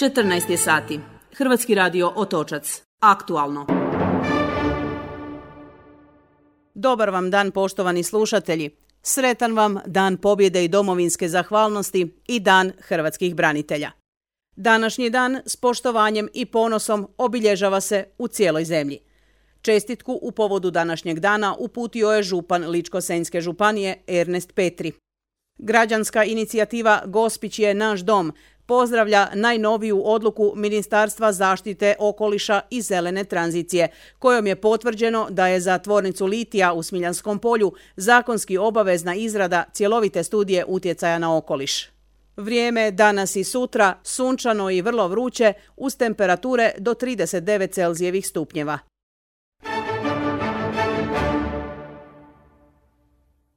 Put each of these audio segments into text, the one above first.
14 je sati. Hrvatski radio Otočac. Aktualno. Dobar vam dan, poštovani slušatelji. Sretan vam Dan pobjede i domovinske zahvalnosti i Dan hrvatskih branitelja. Današnji dan s poštovanjem i ponosom obilježava se u cijeloj zemlji. Čestitku u povodu današnjeg dana uputio je župan Ličko-senjske županije Ernest Petri. Građanska inicijativa Gospić je naš dom pozdravlja najnoviju odluku Ministarstva zaštite okoliša i zelene tranzicije, kojom je potvrđeno da je za tvornicu litija u Smiljanskom polju zakonski obavezna izrada cjelovite studije utjecaja na okoliš. Vrijeme danas i sutra sunčano i vrlo vruće uz temperature do 39 Celzijevih stupnjeva.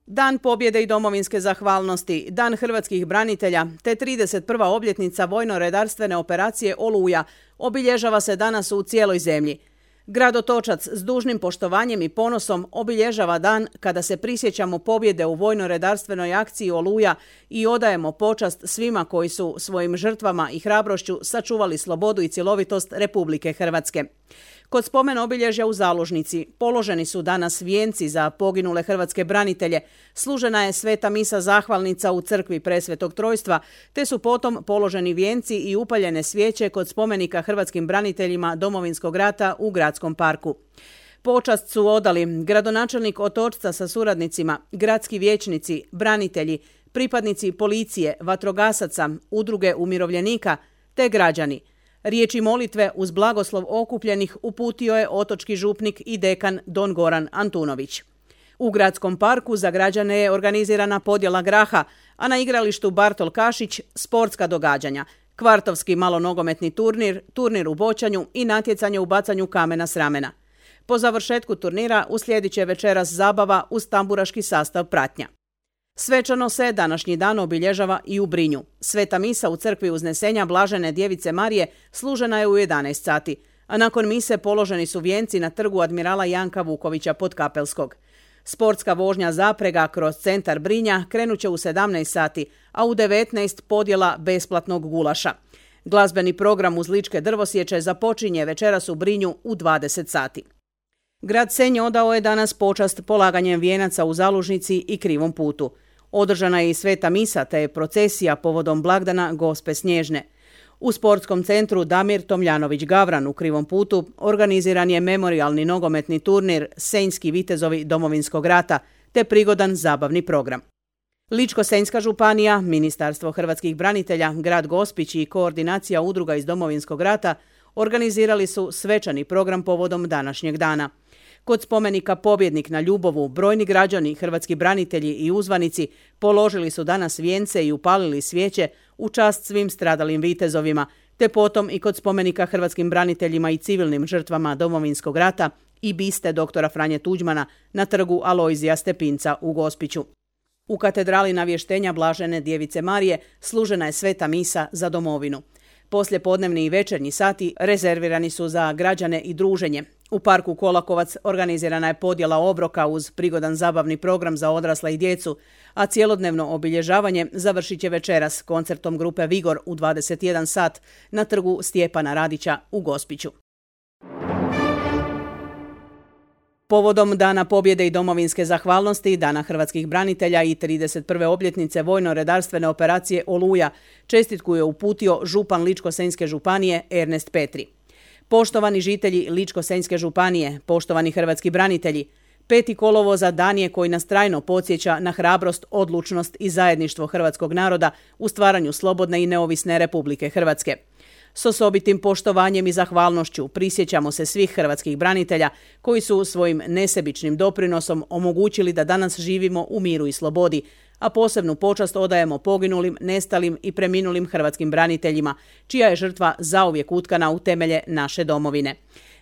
Dan pobjede i domovinske zahvalnosti, Dan hrvatskih branitelja te 31. obljetnica vojno-redarstvene operacije Oluja obilježava se danas u cijeloj zemlji. Grad Otočac s dužnim poštovanjem i ponosom obilježava dan kada se prisjećamo pobjede u vojno-redarstvenoj akciji Oluja i odajemo počast svima koji su svojim žrtvama i hrabrošću sačuvali slobodu i cjelovitost Republike Hrvatske. Kod spomen obilježja u Zalužnici položeni su danas vijenci za poginule hrvatske branitelje, služena je sveta misa zahvalnica u crkvi Presvetog Trojstva, te su potom položeni vijenci i upaljene svijeće kod spomenika hrvatskim braniteljima Domovinskog rata u Gradskom parku. Počast su odali gradonačelnik Otočca sa suradnicima, gradski vijećnici, branitelji, pripadnici policije, vatrogasaca, udruge umirovljenika te građani. Riječi molitve uz blagoslov okupljenih uputio je otočki župnik i dekan Don Goran Antunović. U Gradskom parku za građane je organizirana podjela graha, a na igralištu Bartol Kašić sportska događanja, kvartovski malonogometni turnir, turnir u boćanju i natjecanje u bacanju kamena s ramena. Po završetku turnira uslijedit će večeras zabava uz tamburaški sastav pratnja. Svečano se današnji dan obilježava i u Brinju. Sveta misa u crkvi Uznesenja Blažene Djevice Marije služena je u 11 sati, a nakon mise položeni su vijenci na trgu admirala Janka Vukovića Podkapelskog. Sportska vožnja zaprega kroz centar Brinja krenuće u 17 sati, a u 19 podjela besplatnog gulaša. Glazbeni program uz ličke drvosječe započinje večeras u Brinju u 20 sati. Grad Senj odao je danas počast polaganjem vijenaca u Zalužnici i Krivom putu. Održana je i sveta misa te je procesija povodom blagdana Gospe Snježne. U sportskom centru Damir Tomljanović Gavran u Krivom putu organiziran je memorijalni nogometni turnir Senjski vitezovi Domovinskog rata te prigodan zabavni program. Ličko-senjska županija, Ministarstvo hrvatskih branitelja, grad Gospić i koordinacija udruga iz Domovinskog rata organizirali su svečani program povodom današnjeg dana. Kod spomenika Pobjednik na Ljubovu brojni građani, hrvatski branitelji i uzvanici položili su danas vijence i upalili svijeće u čast svim stradalim vitezovima, te potom i kod spomenika hrvatskim braniteljima i civilnim žrtvama Domovinskog rata i biste doktora Franje Tuđmana na trgu Alojzija Stepinca u Gospiću. U katedrali Navještenja Blažene Djevice Marije služena je sveta misa za domovinu. Poslijepodnevni i večernji sati rezervirani su za građane i druženje. U parku Kolakovac organizirana je podjela obroka uz prigodan zabavni program za odrasle i djecu, a cjelodnevno obilježavanje završit će večeras koncertom grupe Vigor u 21 sat na trgu Stjepana Radića u Gospiću. Povodom Dana pobjede i domovinske zahvalnosti, Dana hrvatskih branitelja i 31. obljetnice vojno-redarstvene operacije Oluja, čestitku je uputio župan Ličko-senjske županije Ernest Petri. Poštovani žitelji Ličko-senjske županije, poštovani hrvatski branitelji, 5. kolovoza dan je koji nas trajno podsjeća na hrabrost, odlučnost i zajedništvo hrvatskog naroda u stvaranju slobodne i neovisne Republike Hrvatske. S osobitim poštovanjem i zahvalnošću prisjećamo se svih hrvatskih branitelja koji su svojim nesebičnim doprinosom omogućili da danas živimo u miru i slobodi, a posebnu počast odajemo poginulim, nestalim i preminulim hrvatskim braniteljima, čija je žrtva zauvijek utkana u temelje naše domovine.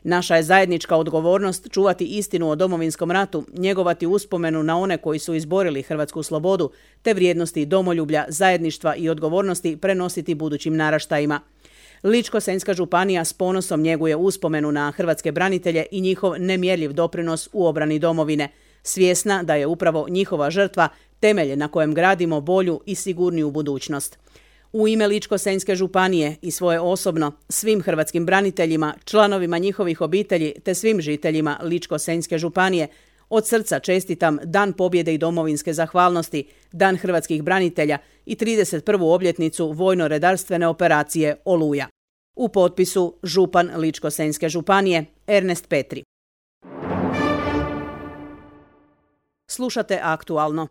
Naša je zajednička odgovornost čuvati istinu o Domovinskom ratu, njegovati uspomenu na one koji su izborili hrvatsku slobodu, te vrijednosti domoljublja, zajedništva i odgovornosti prenositi budućim naraštajima. Ličko-senjska županija s ponosom njeguje uspomenu na hrvatske branitelje i njihov nemjerljiv doprinos u obrani domovine, svjesna da je upravo njihova žrtva temelj na kojem gradimo bolju i sigurniju budućnost. U ime Ličko-senjske županije i svoje osobno, svim hrvatskim braniteljima, članovima njihovih obitelji te svim žiteljima Ličko-senjske županije od srca čestitam Dan pobjede i domovinske zahvalnosti, Dan hrvatskih branitelja i 31. obljetnicu vojno-redarstvene operacije Oluja. U potpisu župan Ličko-senjske županije Ernest Petri. Slušate Aktualno.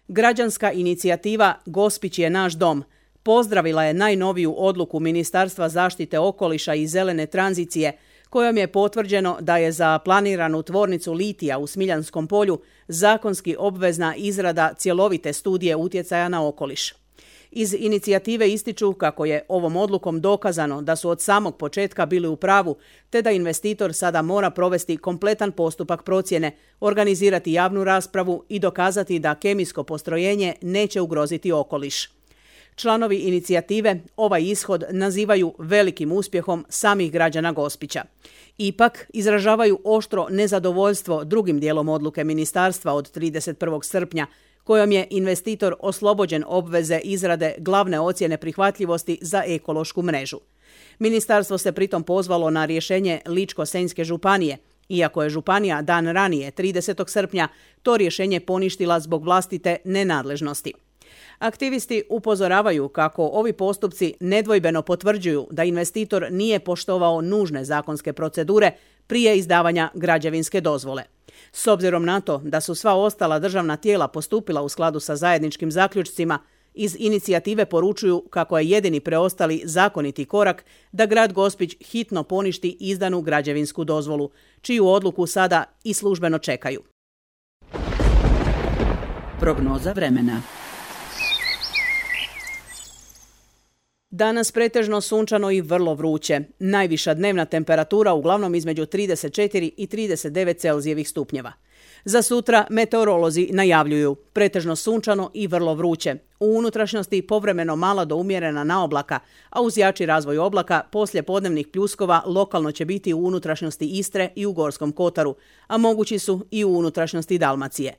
Građanska inicijativa Gospić je naš dom pozdravila je najnoviju odluku Ministarstva zaštite okoliša i zelene tranzicije kojom je potvrđeno da je za planiranu tvornicu litija u Smiljanskom polju zakonski obvezna izrada cjelovite studije utjecaja na okoliš. Iz inicijative ističu kako je ovom odlukom dokazano da su od samog početka bili u pravu, te da investitor sada mora provesti kompletan postupak procjene, organizirati javnu raspravu i dokazati da kemijsko postrojenje neće ugroziti okoliš. Članovi inicijative ovaj ishod nazivaju velikim uspjehom samih građana Gospića. Ipak izražavaju oštro nezadovoljstvo drugim dijelom odluke ministarstva od 31. srpnja, kojom je investitor oslobođen obveze izrade glavne ocjene prihvatljivosti za ekološku mrežu. Ministarstvo se pritom pozvalo na rješenje Ličko-senjske županije, iako je županija dan ranije, 30. srpnja, to rješenje poništila zbog vlastite nenadležnosti. Aktivisti upozoravaju kako ovi postupci nedvojbeno potvrđuju da investitor nije poštovao nužne zakonske procedure prije izdavanja građevinske dozvole. S obzirom na to da su sva ostala državna tijela postupila u skladu sa zajedničkim zaključcima, iz inicijative poručuju kako je jedini preostali zakoniti korak da grad Gospić hitno poništi izdanu građevinsku dozvolu, čiju odluku sada i službeno čekaju. Prognoza vremena. Danas pretežno sunčano i vrlo vruće. Najviša dnevna temperatura uglavnom između 34 i 39 Celzijevih stupnjeva. Za sutra meteorolozi najavljuju pretežno sunčano i vrlo vruće. U unutrašnjosti povremeno mala do umjerena naoblaka, a uz jači razvoj oblaka poslije podnevnih pljuskova lokalno će biti u unutrašnjosti Istre i u Gorskom Kotaru, a mogući su i u unutrašnjosti Dalmacije.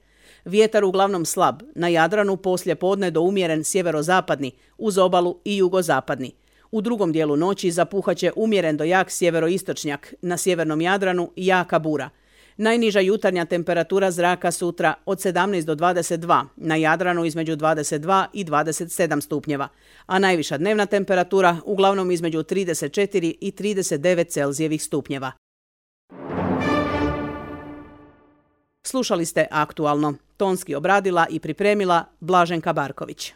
Vjetar uglavnom slab, na Jadranu poslije podne do umjeren sjeverozapadni, uz obalu i jugozapadni. U drugom dijelu noći zapuhaće umjeren do jak sjeveroistočnjak, na sjevernom Jadranu jaka bura. Najniža jutarnja temperatura zraka sutra od 17 do 22, na Jadranu između 22 i 27 stupnjeva, a najviša dnevna temperatura uglavnom između 34 i 39 Celzijevih stupnjeva. Slušali ste Aktualno. Tonski obradila i pripremila Blaženka Barković.